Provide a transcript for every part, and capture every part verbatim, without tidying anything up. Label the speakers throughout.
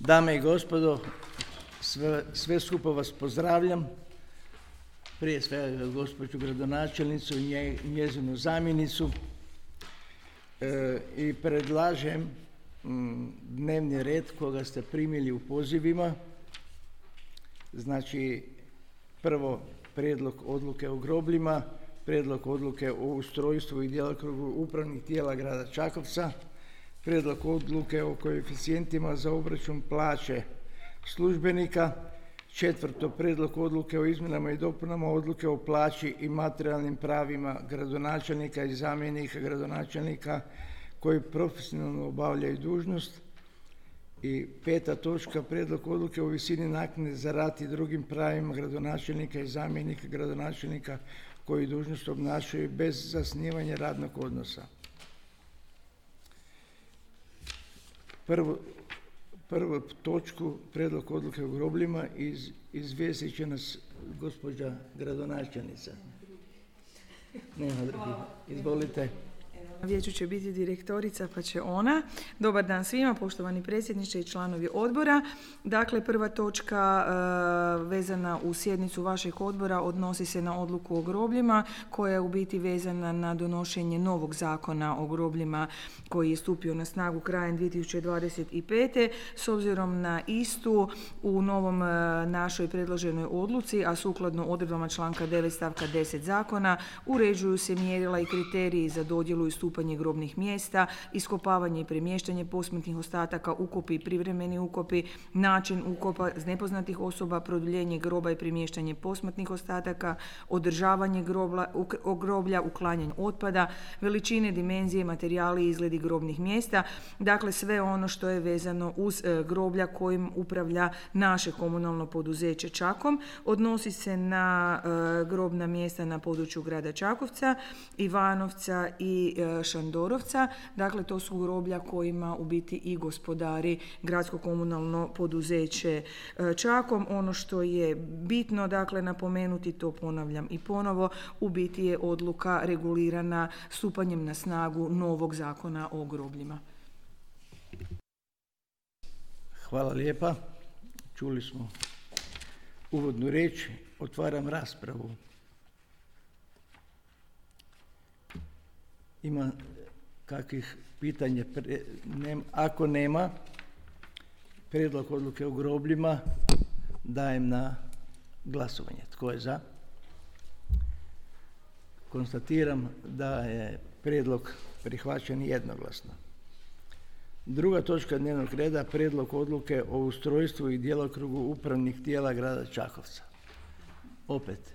Speaker 1: Dame i gospodo, sve, sve skupa vas pozdravljam. Prije svega gospođu gradonačelnicu i nje, njezinu zamjenicu e, i predlažem m, dnevni red koga ste primili u pozivima. Znači, prvo prijedlog odluke o grobljima, prijedlog odluke o ustrojstvu i djelokrugu upravnih tijela grada Čakovca, prijedlog odluke o koeficijentima za obračun plaće službenika, četvrto prijedlog odluke o izmjenama i dopunama odluke o plaći i materijalnim pravima gradonačelnika i zamjenika gradonačelnika koji profesionalno obavljaju dužnost. I peta točka, prijedlog odluke o visini naknade za rad i drugim pravima gradonačelnika i zamjenika gradonačelnika koji dužnost obnašaju bez zasnivanja radnog odnosa. Prvo, prvu točku, prijedlog odluke o grobljima, iz, izvijestit će nas gospođa gradonačelnica. Nema drugih. Izvolite.
Speaker 2: Na vijeću će biti direktorica, pa će ona. Dobar dan svima, poštovani predsjedniče i članovi odbora. Dakle, prva točka e, vezana u sjednicu vašeg odbora odnosi se na odluku o grobljima, koja je u biti vezana na donošenje novog zakona o grobljima koji je stupio na snagu krajem dvije tisuće dvadeset pete. S obzirom na istu, u novom e, našoj predloženoj odluci, a sukladno odredbama članka devet stavka deset zakona, uređuju se mjerila i kriteriji za dodjelu i stupanje grobnih mjesta, iskopavanje i premještanje posmrtnih ostataka, ukopi i privremeni ukopi, način ukopa nepoznatih osoba, produljenje groba i premještanje posmrtnih ostataka, održavanje grobla, groblja, uklanjanje otpada, veličine, dimenzije, materijali i izgledi grobnih mjesta. Dakle, sve ono što je vezano uz e, groblja kojim upravlja naše komunalno poduzeće Čakom. Odnosi se na e, grobna mjesta na području grada Čakovca, Ivanovca i e, Šandorovca. Dakle, to su groblja kojima u biti i gospodari gradsko komunalno poduzeće Čakom. Ono što je bitno, dakle, napomenuti, to ponavljam i ponovo, u biti je odluka regulirana stupanjem na snagu novog zakona o grobljima.
Speaker 1: Hvala lijepa. Čuli smo uvodnu riječ. Otvaram raspravu. Ima kakvih pitanja? Ako nema, prijedlog odluke o grobljima dajem na glasovanje. Tko je za? Konstatiram da je prijedlog prihvaćen jednoglasno. Druga točka dnevnog reda, prijedlog odluke o ustrojstvu i djelokrugu upravnih tijela grada Čakovca. Opet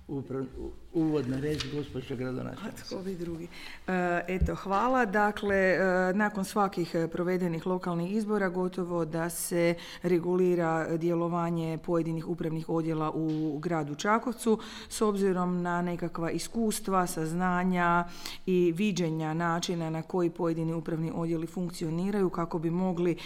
Speaker 1: Uprav, uvodna reč, gospođa gradonačelnica.
Speaker 2: Tko bi drugi? E, eto, hvala. Dakle, e, nakon svakih provedenih lokalnih izbora gotovo da se regulira djelovanje pojedinih upravnih odjela u gradu Čakovcu s obzirom na nekakva iskustva, saznanja i viđenja načina na koji pojedini upravni odjeli funkcioniraju kako bi mogli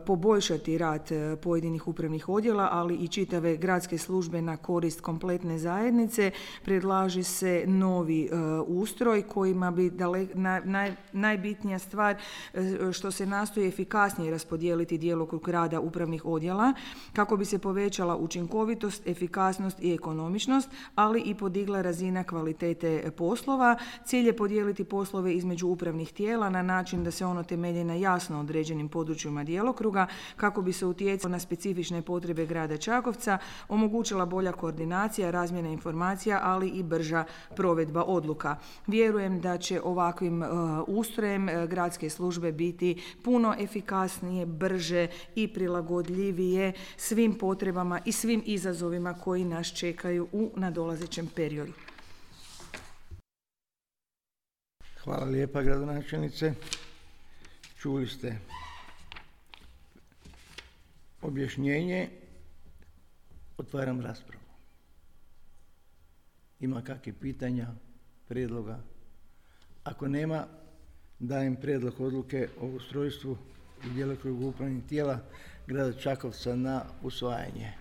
Speaker 2: poboljšati rad pojedinih upravnih odjela, ali i čitave gradske službe na korist kompletne zajednice. Predlaže se novi uh, ustroj kojima bi dale, na, naj, najbitnija stvar uh, što se nastoji efikasnije raspodijeliti djelokrug rada upravnih odjela kako bi se povećala učinkovitost, efikasnost i ekonomičnost, ali i podigla razina kvalitete poslova. Cilj je podijeliti poslove između upravnih tijela na način da se ono temelji na jasno određenim područjima djelokruga kako bi se utjecalo na specifične potrebe grada Čakovca, omogućila bolja koordinacija, razmjena informacija, ali i brža provedba odluka. Vjerujem da će ovakvim uh, ustrojem uh, gradske službe biti puno efikasnije, brže i prilagodljivije svim potrebama i svim izazovima koji nas čekaju u nadolazećem periodu.
Speaker 1: Hvala lijepa, gradonačelnice. Čuli ste objašnjenje. Otvaram raspravu. Ima kakvih pitanja, prijedloga? Ako nema, dajem prijedlog odluke o ustrojstvu i djelokrugu upravnih tijela grada Čakovca na usvajanje.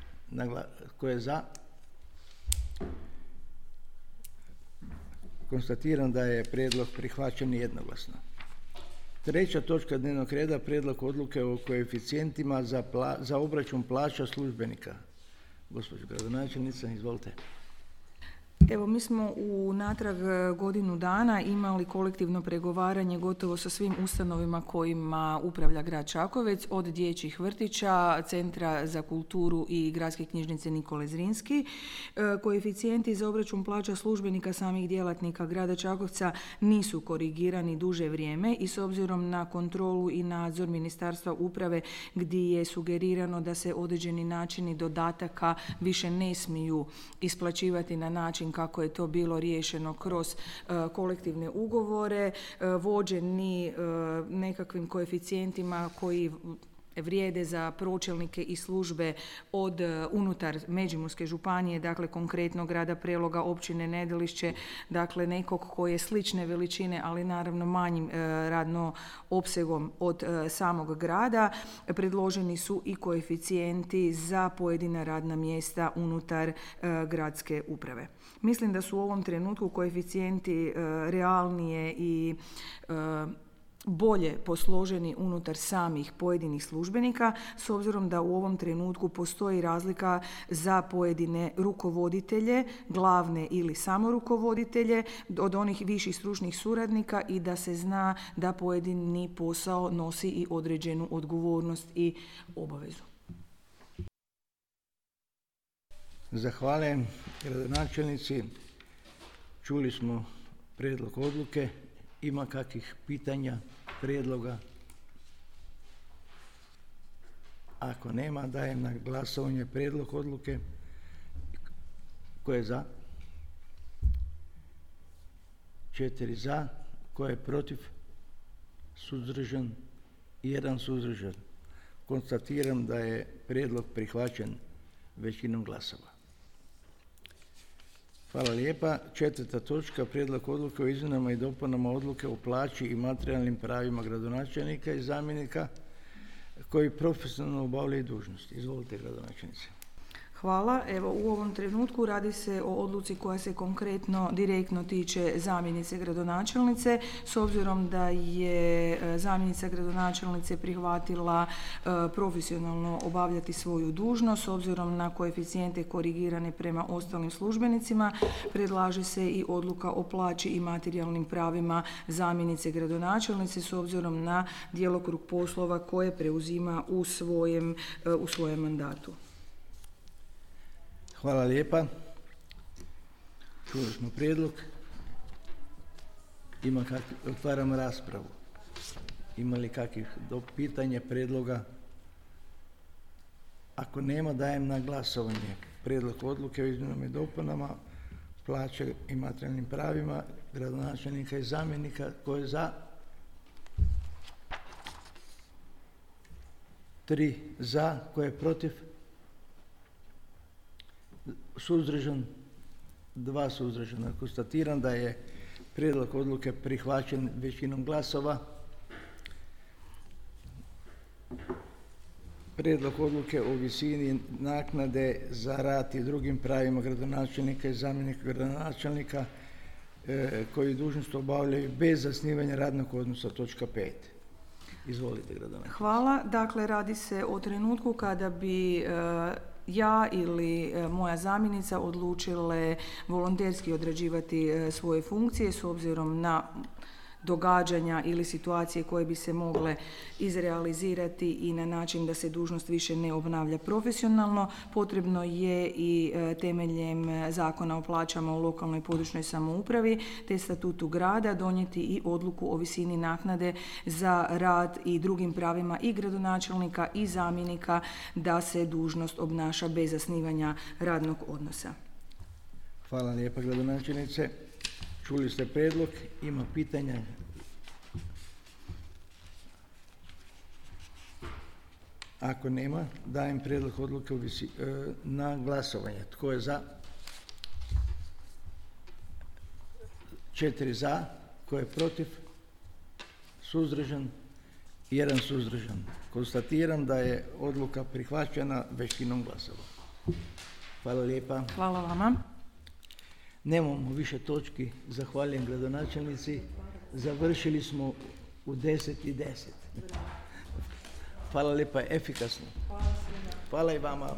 Speaker 1: Tko je za? Konstatiram da je prijedlog prihvaćen jednoglasno. Treća točka dnevnog reda, prijedlog odluke o koeficijentima za, pla, za obračun plaća službenika. Gospođo gradonačelnica, izvolite.
Speaker 2: Evo, mi smo u natrag godinu dana imali kolektivno pregovaranje gotovo sa svim ustanovima kojima upravlja grad Čakovec, od dječjih vrtića, Centra za kulturu i Gradske knjižnice Nikole Zrinski. Koeficijenti za obračun plaća službenika samih djelatnika grada Čakovca nisu korigirani duže vrijeme i s obzirom na kontrolu i nadzor Ministarstva uprave gdje je sugerirano da se određeni načini dodataka više ne smiju isplaćivati na način kako je to bilo riješeno kroz uh, kolektivne ugovore, uh, vođeni uh, nekakvim koeficijentima koji vrijede za pročelnike i službe od unutar Međimurske županije, dakle konkretno grada Preloga, općine Nedelišće, dakle nekog koji je slične veličine, ali naravno manjim e, radno opsegom od e, samog grada. Predloženi su i koeficijenti za pojedina radna mjesta unutar e, gradske uprave. Mislim da su u ovom trenutku koeficijenti e, realnije i e, bolje posloženi unutar samih pojedinih službenika, s obzirom da u ovom trenutku postoji razlika za pojedine rukovoditelje, glavne ili samorukovoditelje, od onih viših stručnih suradnika i da se zna da pojedini posao nosi i određenu odgovornost i obavezu.
Speaker 1: Zahvaljujem gradonačelnici. Čuli smo prijedlog odluke. Ima kakvih pitanja, prijedloga? Ako nema, dajem na glasovanje prijedlog odluke. Ko je za? Četiri za. Ko je protiv? Suzdržan? Jedan suzdržan. Konstatiram da je prijedlog prihvaćen većinom glasova. Hvala lijepa. Četvrta točka, prijedlog odluke o izmjenama i dopunama odluke o plaći i materijalnim pravima gradonačelnika i zamjenika koji profesionalno obavljaju dužnosti. Izvolite, gradonačelnice.
Speaker 2: Hvala. Evo, u ovom trenutku radi se o odluci koja se konkretno direktno tiče zamjenice gradonačelnice, s obzirom da je zamjenica gradonačelnice prihvatila e, profesionalno obavljati svoju dužnost, s obzirom na koeficijente korigirane prema ostalim službenicima, predlaže se i odluka o plaći i materijalnim pravima zamjenice gradonačelnice s obzirom na djelokrug poslova koje preuzima u svojem, e, u svojem mandatu.
Speaker 1: Hvala lijepa. Čuli smo prijedlog. Ima kakvi, otvaramo raspravu. Ima li kakvih pitanja, prijedloga? Ako nema, dajem na glasovanje prijedlog odluke o izmjenama i dopunama plaće i materijalnim pravima gradonačelnika i zamjenika. Tko je za? Tri za. Tko je protiv? Suzdržan? Dva suzdržana. Konstatiram da je prijedlog odluke prihvaćen većinom glasova. Prijedlog odluke o visini naknade za rad i drugim pravima gradonačelnika i zamjenika gradonačelnika e, koji dužnost obavljaju bez zasnivanja radnog odnosa, točka pet. Izvolite, gradonačelnice.
Speaker 2: Hvala. Dakle, radi se o trenutku kada bi e, ja ili e, moja zamjenica odlučile volonterski odrađivati e, svoje funkcije s obzirom na događanja ili situacije koje bi se mogle izrealizirati i na način da se dužnost više ne obnavlja profesionalno. Potrebno je i e, temeljem Zakona o plaćama u lokalnoj i područnoj samoupravi te statutu grada donijeti i odluku o visini naknade za rad i drugim pravima i gradonačelnika i zamjenika da se dužnost obnaša bez zasnivanja radnog odnosa.
Speaker 1: Hvala lijepa, gradonačelnice. Čuli ste prijedlog, ima pitanja? Ako nema, dajem prijedlog odluke na glasovanje. Tko je za? Četiri za. Tko je protiv? Suzdržan? Jedan suzdržan. Konstatiram da je odluka prihvaćena većinom glasova. Hvala lijepa.
Speaker 2: Hvala vama.
Speaker 1: Nemamo više točki. Zahvaljujem gradonačelnici. Završili smo u deset i deset. Hvala lijepa, efikasno. Hvala i vama.